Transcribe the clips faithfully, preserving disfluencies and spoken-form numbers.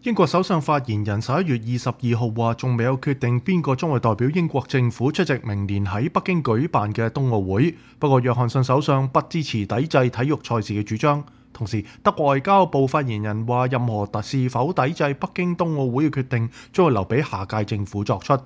英國首相發言人十一月二十二號話，仲未有決定邊個將會代表英國政府出席明年喺北京舉辦嘅冬奧會。不過，約翰遜首相不支持抵制體育賽事嘅主張。同時，德國外交部發言人話，任何是否抵制北京冬奧會嘅決定，將會留俾下屆政府作出。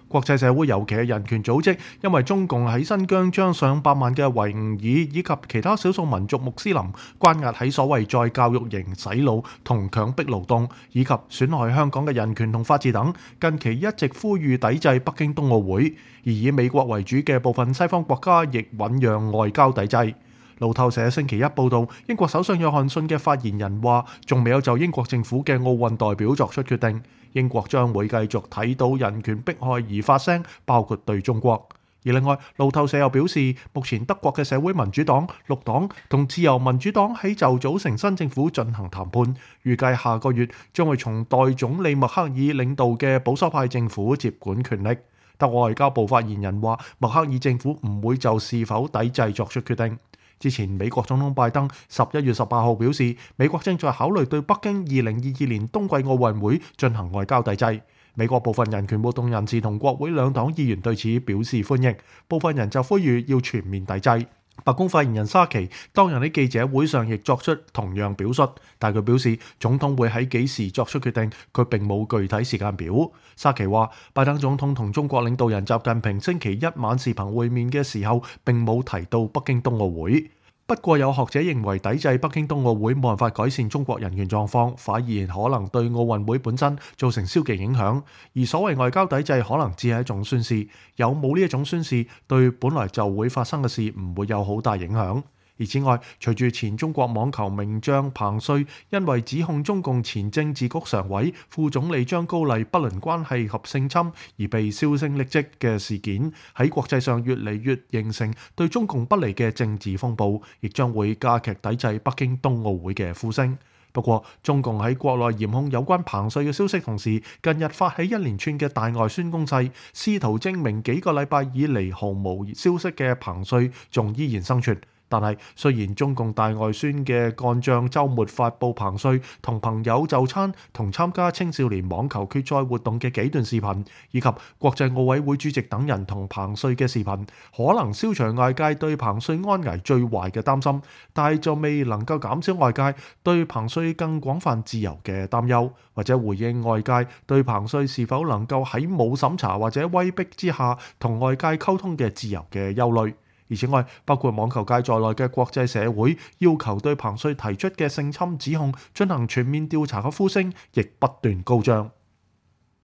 國際社會尤其係人權組織，因為中共喺新疆將上百萬嘅維吾爾以及其他少數民族穆斯林關押喺所謂再教育營洗腦同強迫勞動，以及損害香港嘅人權同法治等，近期一直呼籲抵制北京冬奧會，而以美國為主嘅部分西方國家亦醞釀外交抵制。路透社星期一報導，英國首相約翰遜嘅發言人話，仲未有就英國政府嘅奧運代表作出決定。英國將會繼續睇到人權迫害而發聲，包括對中國。而另外，路透社又表示，目前德國嘅社會民主黨、綠黨同自由民主黨喺就組成新政府進行談判，預計下個月將會從代總理默克爾領導嘅保守派政府接管權力。德國外交部發言人話，默克爾政府唔會就是否抵制作出決定。之前美國總統拜登十一月十八號表示，美國正在考慮對北京二零二二年冬季奧運會進行外交抵制。美國部分人權活動人士同國會兩黨議員對此表示歡迎，部分人就呼籲要全面抵制。白宮發言人沙奇當日喺記者會上亦作出同樣表述，但佢表示總統會喺幾時作出決定，佢並冇具體時間表。沙奇話，拜登總統同中國領導人習近平星期一晚視頻會面嘅時候，並冇提到北京冬奧會。不過有學者認為，抵制北京冬奧會冇辦法改善中國人權狀況，反而可能對奧運會本身造成消極影響。而所謂外交抵制可能只係一種宣示，有冇呢一種宣示，對本來就會發生嘅事唔會有好大影響。而此外，隨住前中國網球名將彭帥因為指控中共前政治局常委、副總理張高麗不倫關係及性侵而被銷聲匿跡嘅事件，喺國際上越嚟越形成對中共不利嘅政治風暴，亦將會加劇抵制北京冬奧會嘅呼聲。不過，中共喺國內嚴控有關彭帥嘅消息同時，近日發起一連串嘅大外宣攻勢，試圖證明幾個禮拜以嚟毫無消息嘅彭帥仲依然生存。但係，雖然中共大外宣嘅幹將週末發布彭帥同朋友就餐同參加青少年網球決賽活動嘅幾段視頻，以及國際奧委會主席等人同彭帥嘅視頻，可能消除外界對彭帥安危最壞嘅擔心，但係就未能夠減少外界對彭帥更廣泛自由嘅擔憂，或者回應外界對彭帥是否能夠喺冇審查或者威逼之下同外界溝通嘅自由嘅憂慮。而此外，包括網球界在內嘅國際社會要求對彭帥提出嘅性侵指控進行全面調查嘅呼聲，亦不斷高漲。